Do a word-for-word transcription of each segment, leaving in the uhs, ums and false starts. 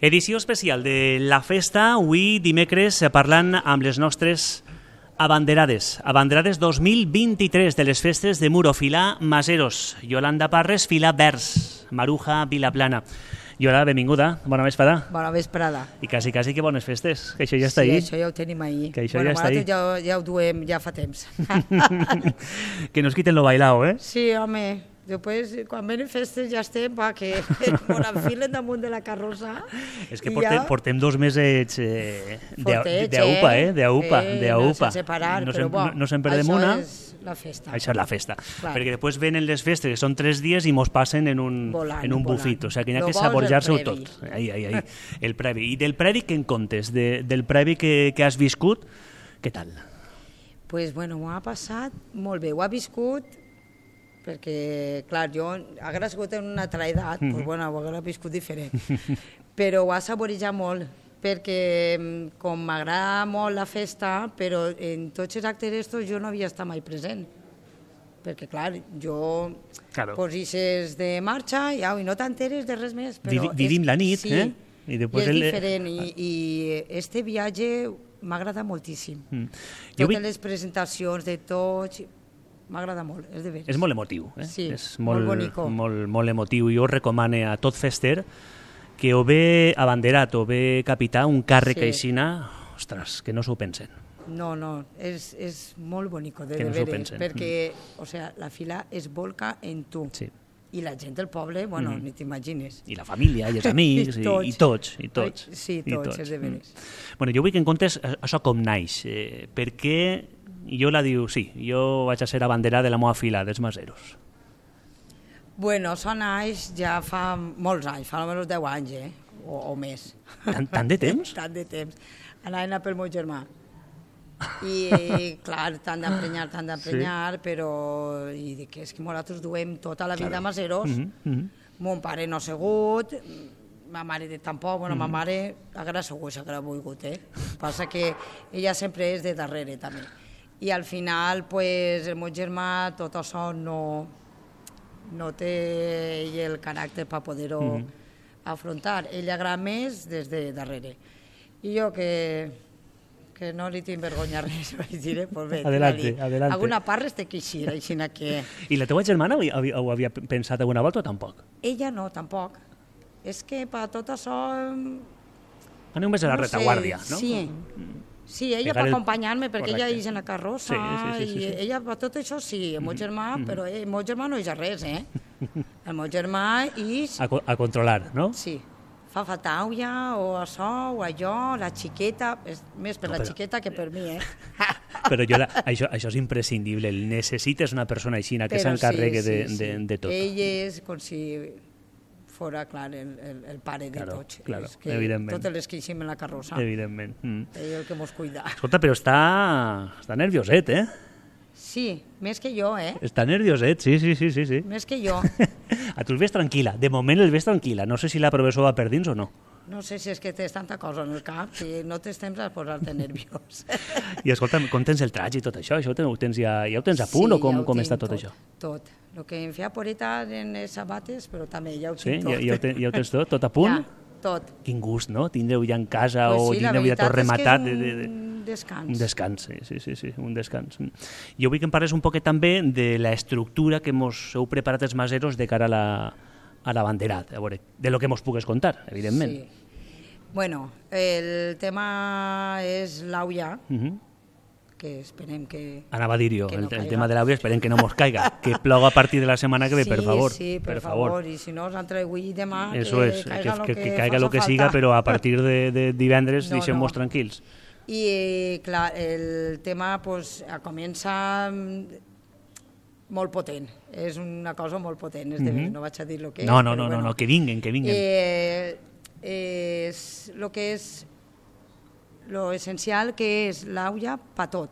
Edició especial de la festa, avui dimecres parlant amb les nostres abanderades. Abanderades dos mil vint-i-tres de les festes de Muro, Filà Maseros. Yolanda Parres, Filà Vers, Maruja, Vilaplana. Yolanda, benvinguda, bona vesprada. Bona vesprada. I quasi, quasi que bones festes, que això ja està sí, ahí. Sí, això ja ho tenim ahir. Que això bueno, ja està ahí. Ja, ja ho duem ja fa temps. Que nos quiten lo bailao, eh? Sí, home. Després, quan venen festes ja estem, va, que ens enfilen damunt de la carrossa. És que portem, ja... portem dos mesos eh, Fortets, d'aupa, eh? D'aupa, eh, d'aupa. Sense parar, no però bo, no, no se'n perdem una. Això és la festa. Això és la festa. Clar. Perquè després venen les festes, que són tres dies i mos passen en un, volant, en un volant. bufit. O sigui, que hi ha Lo que bo és saborejar-se-ho el previ. tot. Ai, ai, ai. El previ. I del previ què en comptes? De, del previ que, que has viscut, què tal? Pues, bueno, m'ho ha passat molt bé. Ho ha viscut perquè, clar, jo hagués sigut en una altra edat, mm -hmm. pues, bueno, ho hagués viscut diferent. Però ho ha saborejat molt, perquè com m'agrada molt la festa, però en tots els actes estos jo no havia estat mai present. Perquè, clar, jo claro. posisses de marxa i, au, i no t'enteres de res més. Però Vivi, vivim és, la nit, sí, eh? I, després i és el... diferent, i, i este viatge m'agrada moltíssim. Mm. Jo Totes vi... les presentacions de tots... M'agrada molt, és de veres. És molt emotiu, eh? Sí, és molt, molt bonico. Molt, molt emotiu. Jo recomano a tot fester que o bé abanderat o bé capità un càrrec Sí. aixina, ostres, que no s'ho pensen. No, no, és, és molt bonico, de, Que de no s'ho veres, pensen. perquè o sea, la fila es volca en tu. Sí. I la gent del poble, bueno, Mm. ni t'imagines. I la família, i els amics, i, tots. i tots, i tots. Sí, i tots, és de veres. Mm. Bueno, jo vull que en comptes això com naix, eh, perquè jo la diu, sí, jo vaig a ser abanderada de la meva fila, dels Maseros. Bueno, això naix ja fa molts anys, fa almenys deu anys, eh? O, o més. Tant, tant de temps? Tant de temps. Anaven pel meu germà. I, clar, t'han d'emprenyar, t'han d'emprenyar, sí. però i dic, és que nosaltres duem tota la vida Claro. a Maseros. Mm -hmm. Mon pare no ha segut, ma mare tampoc, bueno, Mm. ma mare haguera segut, s'haguera volgut, eh? Passa que ella sempre és de darrere, també. I al final, pues, el meu germà, tot això no, no té ell el caràcter per poder-ho mm. afrontar. Ell agrada més des de darrere. I jo que, que no li tinc vergonya res, vaig dir, eh? Pues bé, Adelante, adelante. alguna part es té que eixir, així que... I la teva germana ho havia, ho havia pensat alguna volta o tampoc? Ella no, tampoc. És que per tot això... Aneu més a la no retaguardia, sé, no? Sí, sí, ella Pegar per el- acompanyar-me, perquè Correcte. ella és en la carrossa, Sí, sí, sí, sí, sí. i ella per tot això sí, el meu germà, però eh, el meu germà no és res, eh? El meu germà és... A, co- a controlar, no? Sí, fa fatauia, o això, o allò, la xiqueta, és més per No, la però- xiqueta que per mi, eh? Però jo, la, això, això és imprescindible. Necessites una persona aixina que Però s'encarregui sí, de, sí, de, sí. de tot. Ell és com si fora, clar, el, el, el pare de Claro, tots. claro, És que evidentment. totes les que eixim en la carrossa, Evidentment. Mm. ell és el que mos cuida. Escolta, però està, està nervioset, eh? Sí, més que jo, eh? Està nervioset, sí, sí, sí, sí. sí. Més que jo. A tu el ves tranquil·la. De moment el ves tranquil·la. No sé si la professor va per dins o no. No sé si és que tens tanta cosa en el cap que no tens temps a posar-te nerviós. I escolta, com tens el traig i tot això? Això ho tens ja, ja ho tens a punt Sí, o com, ja ho com tinc està tot, tot, això? Tot. El que em feia poreta en les sabates, però també ja ho Sí? tinc tot. Ja, ja, ho, ten, ja ho tens tot? Tot a punt? Ja, tot. Quin gust, no? Tindreu ja en casa Pues o sí, la tindreu ja tot veritat rematat. és que és de, de, de... un descans. Un descans, sí, sí, sí, sí, un descans. Jo vull que em parles un poquet també de la estructura que mos heu preparat els maseros de cara a la, a la banderat, a veure, de lo que mos pugues contar, evidentment. Sí. Bueno, el tema és l'aulla, Uh -huh. que esperem que... Anava a dir-ho, Que el, no el caiga. tema de l'àudio, esperem que no mos caiga, que ploga a partir de la setmana que ve, sí, per favor. Sí, per, per favor. favor. I si no, entre avui i demà, Eso que es, caiga que, lo que, que, que caiga faça lo que falta. siga, però a partir de, de divendres No, deixem-nos no. tranquils. I, clar, el tema pues, comença mm, molt potent. És una cosa molt potent, és de Mhm. veres, no vaig a dir el que és. No, no, però no, no, bueno. no, que vinguen, que vinguen. Eh, és el que és lo essencial que és l'aulla per tot.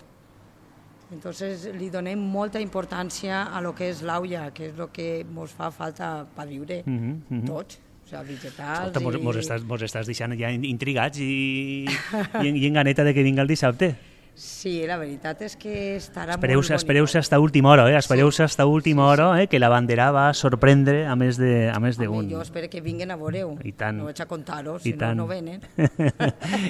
Entonces li donem molta importància a lo que és l'aulla, que és el que ens fa falta per viure Mhm, mhm. tots, o sigui, vegetals Escolta, mos, i... mos, estàs, mos estàs deixant ja intrigats i, i, en, i en ganeta de que vinga el dissabte. Sí, la veritat és que estarà Espereu-se molt espereu bonic. hasta última hora, eh? Espereu-se hasta última sí, hora, eh? Que la bandera va sorprendre a més de, a més d'un. Jo espero que vinguin a veure-ho. I tant. No vaig a contar-ho, I si no, tant. no venen.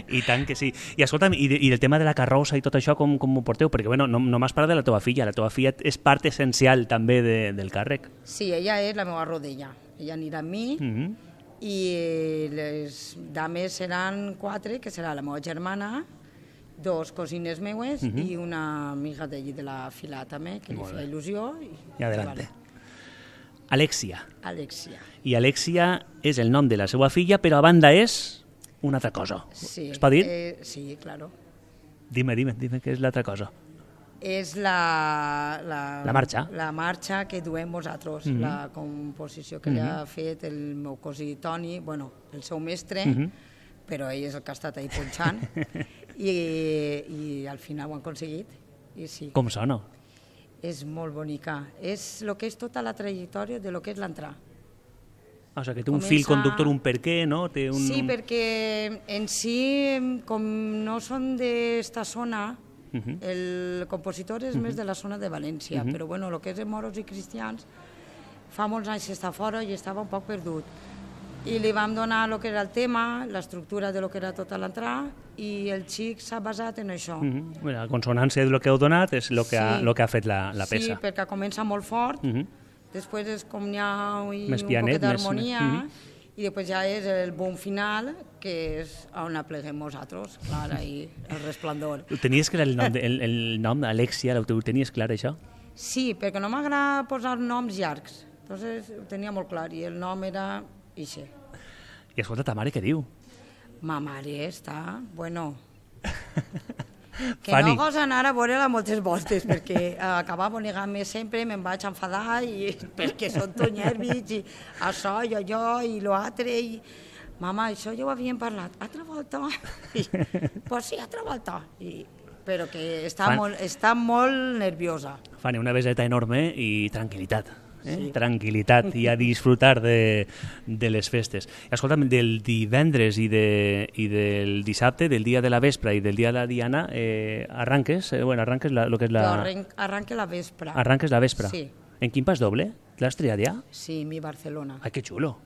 I tant que sí. I escolta'm, i, de, i del tema de la carrossa i tot això, com, com ho porteu? Perquè bueno, no, no m'has parlat de la teva filla. La teva filla és part essencial també de, del càrrec. Sí, ella és la meva rodella. Ella anirà amb mi Mm -hmm. i les dames seran quatre, que serà la meva germana, dos cosines meues uh -huh. i una amiga d'allí de la fila també, que li Molt feia bé. il·lusió. I, I adelante. Vale. Alexia. Alexia. I Alexia és el nom de la seva filla, però a banda és una altra cosa. Sí. Es pot dir? Eh, sí, claro. Dime, dime, dime què és l'altra cosa. És la, la, La marxa. la marxa que duem nosaltres, Mhm. la composició que li ha fet el meu cosí Toni, bueno, el seu mestre, Mhm. però ell és el que ha estat ahí punxant, i, i al final ho han aconseguit. I sí, Com sona? és molt bonica. És el que és tota la trajectòria de lo que és l'entrar. O sigui, que té un Comença- fil conductor, un per què, no? Té un... Sí, perquè en si, com no són d'esta zona, Mhm. el compositor és més de la zona de València, Mhm. però bueno, el que és de moros i cristians, fa molts anys que està fora i estava un poc perdut. I li vam donar el que era el tema, l'estructura de lo que era tota l'entrada, i el xic s'ha basat en això. Mhm. Bueno, la consonància del que heu donat és el que, ha, Sí. lo que ha fet la, la Sí, peça. perquè comença molt fort, Mhm. després és com n'hi ha i Més un pianet, poquet d'harmonia, més- mhm. i després ja és el boom final, que és on apleguem nosaltres, clar, ahí, el resplendor. Ho tenies clar el nom, de, el, el nom Alexia, ho tenies clar això? Sí, perquè no m'agrada posar noms llargs, entonces ho tenia molt clar, i el nom era Ixe. I escolta, ta mare què diu? Ma mare està, bueno... Que Fanny. no gosa anar a veure-la moltes voltes, perquè acabava negant-me sempre, me'n vaig enfadar, i, perquè són tots nervis, i això, jo, jo, i l'altre, i... Mama, això ja ho havíem parlat. Altra volta? I, pues sí, altra volta. I, però que està, Fan- molt, està molt nerviosa. Fanny, una beseta enorme i tranquil·litat. Eh? Sí. Tranquil·litat i a disfrutar de, de les festes. Escolta'm, del divendres i, de, i del dissabte, del dia de la vespre i del dia de la Diana, eh, arranques, eh, bueno, arranques la, lo que és La... Jo la, arrenc, arranque la vespre. arranques la vespre. Sí. En quin pas doble? L'has triat ja? Sí, mi Barcelona. Ai, que xulo.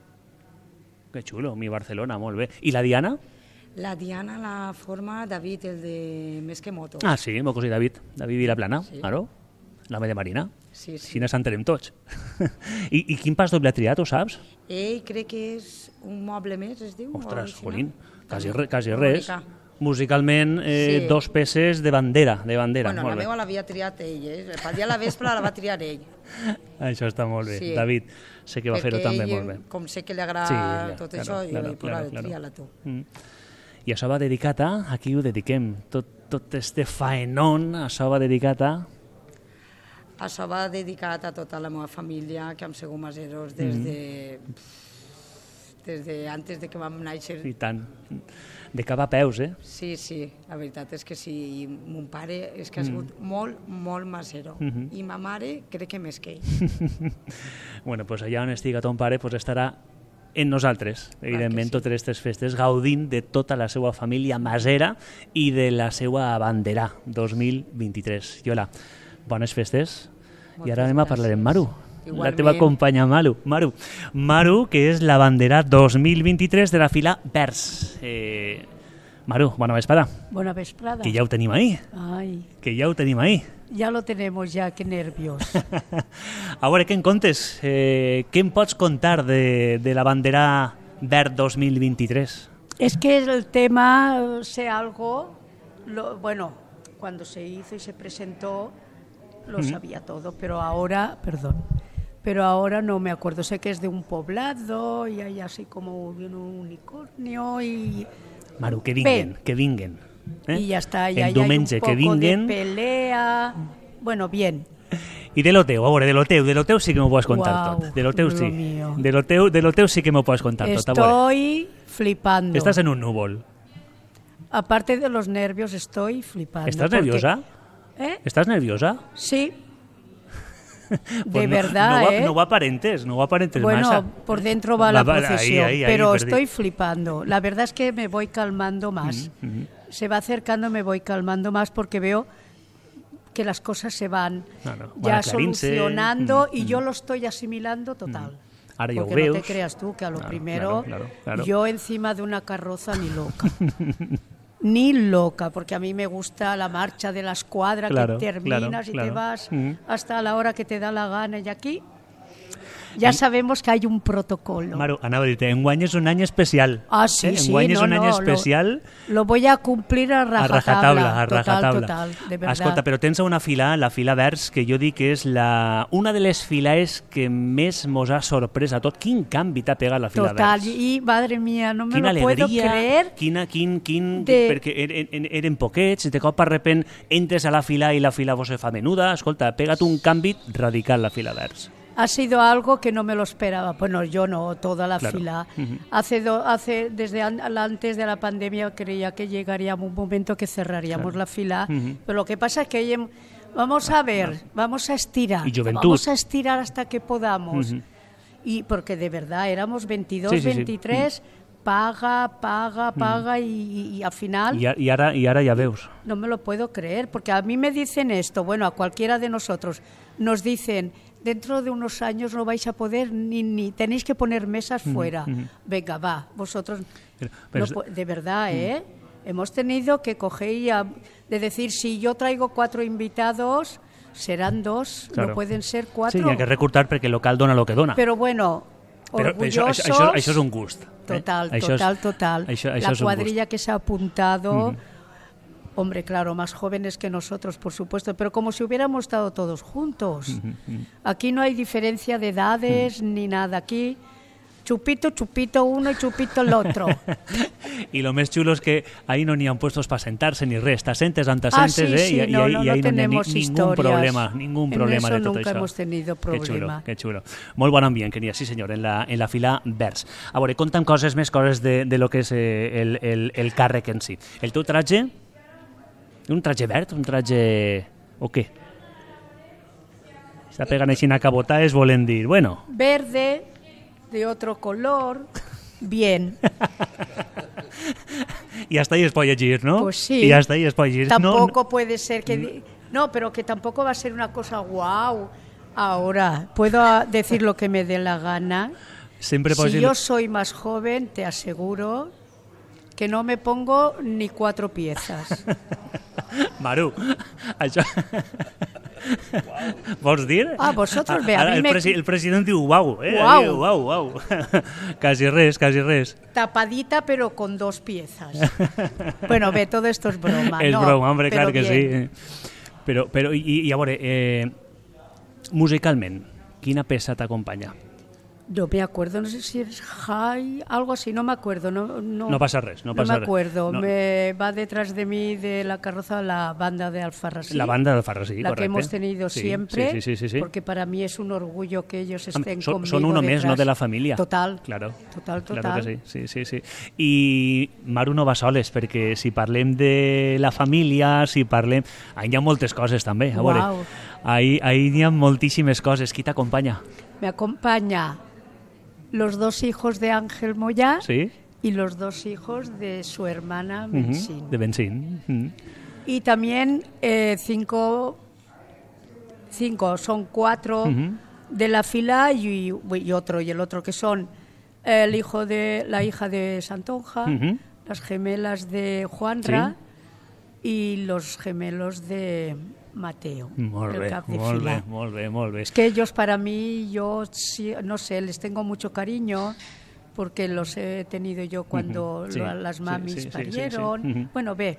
Que xulo, mi Barcelona, molt bé. I la Diana? La Diana la forma David, el de Més que motos. Ah, sí, meu cosí David, David Vilaplana, Sí. claro. L'home de Marina. Sí, sí. Així nos entenem tots. I, I quin pas doble ha triat, ho saps? Ell crec que és un moble més, es diu? Ostres, original? jolín, quasi, També. re, quasi Molt res. bonica. Musicalment, eh, Sí. dos peces de bandera, de bandera. Bueno, molt la bé. meva l'havia triat ell, eh? Per dia a la vespre la va triar ell. Això està molt bé. Sí. David, sé que va fer-ho també ell, molt bé. com sé que li agrada Sí, ja, tot claro, això, claro, jo vaig claro, posar claro. triar-la tu. Mm. I això va dedicat a... A qui ho dediquem? Tot, tot este faenón, això va dedicat a... Això va dedicat a tota la meva família, que hem sigut maseros des Mm. de... des de antes de que vam néixer. I tant. De cap a peus, eh? Sí, sí, la veritat és que sí. I mon pare és que ha Mm. sigut molt, molt masero. Mhm. I ma mare crec que més que ell. Bueno, pues allà on estiga ton pare pues estarà en nosaltres, evidentment, sí. totes aquestes festes, gaudint de tota la seva família masera i de la seva bandera dos mil vint-i-tres. Yola, bones festes. I Moltes ara anem a parlar amb gràcies. Maru, la Igualment. teva companya Maru. Maru, Maru, que és la bandera dos mil vint-i-tres de la fila Vers. Eh, Maru, bona vesprada. Buena vesprada. Que ja ho tenim ahí, Ay, que ja ho tenim ahí. ya lo tenemos ya, qué nervios. A veure, què en contes? Eh, què em pots contar de, de la bandera Verd dos mil vint-i-tres? Es que el tema, eh, sé algo, lo, bueno, cuando se hizo y se presentó, lo Ujú. sabía todo, pero ahora, perdón, pero ahora no me acuerdo. Sé que es de un poblado y hay así como un unicornio y, Maru, que vinguen, Bé. que vinguen. Eh? y ya está. Y El ahí hay un diumenge poco que vinguen. de pelea. Bueno, bien. I de lo teu, a veure, de lo teu, de lo teu sí que m'ho pots contar Uau, tot. De lo teu lo sí. mío. De lo teu, de lo teu sí que m'ho pots contar tot. A veure, Estoy flipando. estàs en un núvol. Aparte de los nervios, estoy flipando. ¿Estás porque- nerviosa? ¿Eh? ¿Estás nerviosa? Sí. Pues De no- verdad, no, ho- ¿eh? No ho aparentes, no ho aparentes Bueno, massa. por dentro va la Va- va- ahí, procesión, ahí, ahí, pero perdí. estoy flipando. La verdad es que me voy calmando más. Mm, mm. se va acercando me voy calmando más porque veo que las cosas se van Claro, van ya aclarint-se. solucionando Mm, y mm. yo lo estoy asimilando total. Ara ja ho Porque no te veus. creas tú que a lo Claro, primero claro, claro, claro. yo encima de una carroza ni loca. Ni loca, porque a mí me gusta la marcha de la escuadra, Claro, que terminas claro, y claro. te vas Mm. hasta la hora que te da la gana. Y aquí ya sabemos que hay un protocolo. Maru, anava a dir-te, enguany és un any especial. Ah, sí, eh? sí, Enguany és no, un any no, especial Lo, lo voy a cumplir a a rajatabla. rajatabla, a total, rajatabla. total, de verdad. Escolta, però tens una fila, la fila vers, que jo dic que és la, una de les filaes que més mos ha sorprès a tot. Quin canvi t'ha pegat la fila Total, vers? y madre mía, no me Quina lo puedo alegria, creer. quina, quin, quin, de- perquè eren, eren- eren poquets, de cop de repent entres a la fila i la fila vos se fa menuda. Escolta, ha pegat un canvi radical la fila vers. Ha sido algo que no me lo esperaba. Bueno, yo no, toda la Claro. fila. Ujú. Hace, do- hace desde an- antes de la pandemia creía que llegaría un momento que cerraríamos Claro. la fila, Ujú. pero lo que pasa es que hay em- vamos a ver, vamos a estirar, Y juventud. vamos a estirar hasta que podamos. Ujú. Y porque de verdad éramos veintidós, Sí, sí, sí. veintitrés, paga, paga, paga y, y- y al final I, a- i, ara, I ara ja veus. no me lo puedo creer, porque a mí me dicen esto, bueno, a cualquiera de nosotros, nos dicen, dentro de unos años no vais a poder ni, ni tenéis que poner mesas fuera. Venga, va, vosotros, Pero- pero no es- pu- de verdad, ¿eh? Hemos tenido que coger y a- de decir, si yo traigo cuatro invitados, serán dos, Claro. no pueden ser Sí, cuatro. hi ha que recortar perquè el local dona el que dona. Pero bueno, Però això, orgullosos... això, això, això és un gust. eh? Total, Això és- total, total. Això, això la és un cuadrilla que se ha apuntado, Ujú. hombre, claro, más jóvenes que nosotros, por supuesto, pero como si hubiéramos estado todos juntos. Aquí no hay diferencia de edades ni nada. Aquí chupito, chupito uno y chupito el otro. I lo més xulo és que ahí no n'hi ha puestos per sentar-se ni res. T'assentes on Ah, t'assentes, sí, eh? sí, I, i, no, ahí- no, i no ahí no n'hi ha ni, tenemos ningún historias. problema, ningún En problema eso de tot nunca això. hemos tenido Que xulo, problema. que xulo. Molt bon ambient que n'hi ha, sí senyor, en la, en la fila vers. A veure, conta'm coses, més coses de, de lo que és eh, el, el, el càrrec en si. El teu traje? Un traje verd? Un traje... o què? Està pegant així una cabota, es volen dir, bueno... Verde, de otro color, bien. I hasta ahí es pot llegir, no? Pues sí. I hasta ahí es pot llegir. Tampoco No, puede ser que... di- No, pero que tampoco va a ser una cosa guau. Ahora, puedo ah, decir lo que me dé la gana. sempre pots Si dir... yo soy más joven, te aseguro que no me pongo ni cuatro piezas. Maru, això... Vols dir? Ah, vosotros, ve, a Ara mí el, me- presi el president diu uau, eh? Uau. Diu, uau, uau. Quasi res, quasi res. Tapadita, pero con dos piezas. Bueno, ve, todo esto es broma, És ¿no? broma, hombre, Pero clar que bien. sí. Però, però i, i a veure, eh, musicalment, quina peça t'acompanya? No me acuerdo, no sé si es High, algo así, no me acuerdo. No, no, No pasa res, no pasa me res. acuerdo. No. Me va detrás de mí de la carroza la banda de Alfarrasí. La banda del Farrasí, la correcte. que hemos tenido Sí, siempre, sí, sí, sí, sí. porque para mí es un orgullo que ellos Am, estén son, conmigo son uno més, detrás. no, de la família. Total, Claro. total, total. Claro que sí, sí, sí, sí. I Maru no va soles, perquè si parlem de la família, si parlem... Ahí hi ha moltes coses també, a veure. Uau. Ahí, ahí hi ha moltíssimes coses. Qui t'acompanya? Me acompaña los dos hijos de Ángel Moyá Sí? y los dos hijos de su hermana Mhm, Mensín. de Benzín. Mhm. Y también eh, cinco, cinco, son cuatro Ujú. de la fila y, y otro, y el otro que son el hijo de la hija de Santonja, Ujú. las gemelas de Juanra y los gemelos de Mateo, Molt el bé, cap de molt fila. bé, molt bé, molt bé. Es que ellos para mí, yo sí, no sé, les tengo mucho cariño porque los he tenido yo cuando Ujú, sí, lo- las sí, mamis sí, sí, sí, parieron. sí. Ujú. Bueno, ve,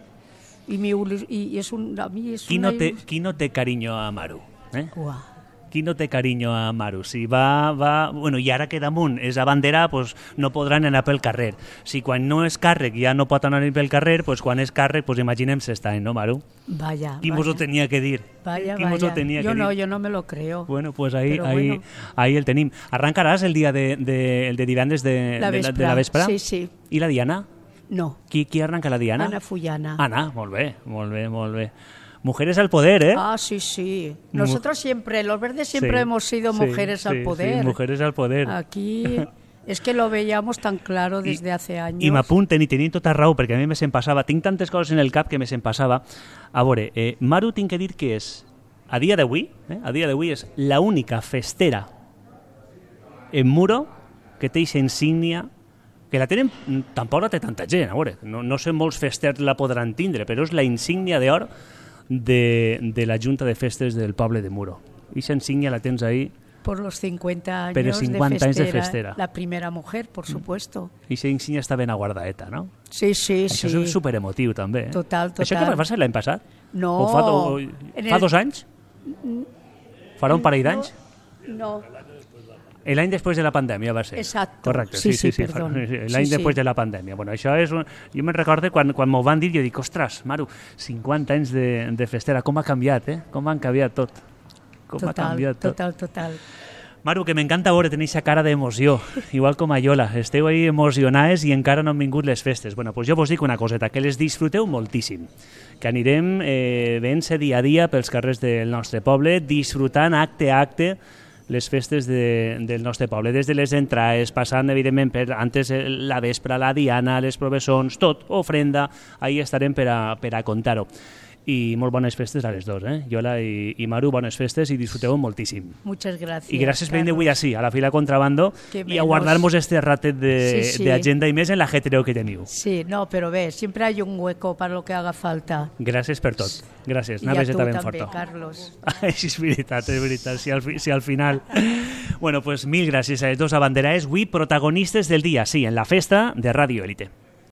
y, mi, ulu- y, y es un, a mí es Qui una... no, té, qui no té carinyo a Maru? Eh? Uah. Qui no té carinyo a Maru? Si va, va... Bueno, i ara que damunt és abanderar, pues, no podran anar pel carrer. Si quan no és càrrec ja no pot anar pel carrer, pues, quan és càrrec, pues, imaginem s'està, no, Maru? Vaya, Qui mos ho vaya. tenia que dir? Vaya, Qui mos ho vaya. tenia Yo que no, dir? yo no me lo creo. Bueno, pues ahí, Però ahí, bueno. ahí el tenim. Arrencaràs el dia de, de, el de divendres de La de, la, de vespra. la vespre? Sí, sí. I la Diana? No, Qui, qui arranca la Diana? Ana Fullana. Ana, molt bé, molt bé, molt bé. Mujeres al poder, ¿eh? Ah, sí, sí. Nosotros siempre, los verdes siempre Sí, hemos sido sí, mujeres sí, al sí, poder. mujeres al poder. Aquí Es que lo veíamos tan claro desde I, hace años. I m'apunten i tenien tota raó, perquè a mi me se'n passava. Tinc tantes coses en el cap que me se'n passava. A veure, eh, Maru, tinc que dir que és, a dia d'avui, eh, a dia d'avui és l'única festera en Muro que té aquesta insígnia, que la tenen, tampoc la té tanta gent, a veure, no, no sé molts festers la podran tindre, però és la insígnia d'or de, de la Junta de Festes del poble de Muro. Aquesta insígnia la tens ahí. Por los cincuenta años, Pero cincuenta de, festera, años de festera. La primera mujer, por supuesto. I esa insígnia està ben aguardaeta, no? Sí, sí, Això sí. és superemotiu, també. Eh? Total, total. Això què va ser l'any passat? No. O fa, o, fa el... dos anys? Farà un parell d'anys? No. L'any després de la pandèmia va ser. Exacto. Correcte, sí, sí, sí, sí, sí, perdó. l'any sí, després sí. de la pandèmia. Bueno, això és un... Jo me'n recordo quan, quan m'ho van dir, jo dic, ostres, Maru, cinquanta anys de, de festera, com ha canviat, eh? Com han canviat tot. Com total, ha canviat tot. Total, total. Maru, que m'encanta veure tenir aquesta cara d'emoció, igual com a Iola. Esteu ahí emocionades i encara no han vingut les festes. Bueno, doncs jo vos dic una coseta, que les disfruteu moltíssim, que anirem eh, veient-se dia a dia pels carrers del nostre poble, disfrutant acte a acte les festes de, del nostre poble, des de les entrades, passant, evidentment, per antes la vespra, la diana, les professons, tot, ofrenda, ahí estarem per a, per a contar-ho. I molt bones festes a les dos, eh? Iola i, i Maru, bones festes i disfruteu moltíssim. Muchas gracias. I gràcies per venir avui així, a la fila contrabando, i a guardar-nos este ratet de, sí, sí. de agenda i més en l'ajetreo que teniu. Sí, no, però bé, siempre hay un hueco para lo que haga falta. Gràcies per tot. Gràcies. I a tu també, Carlos. Així és veritat, és veritat. Si al, si al final... Bueno, pues mil gràcies a les dos abanderades, avui protagonistes del dia, sí, en la festa de Radio Élite.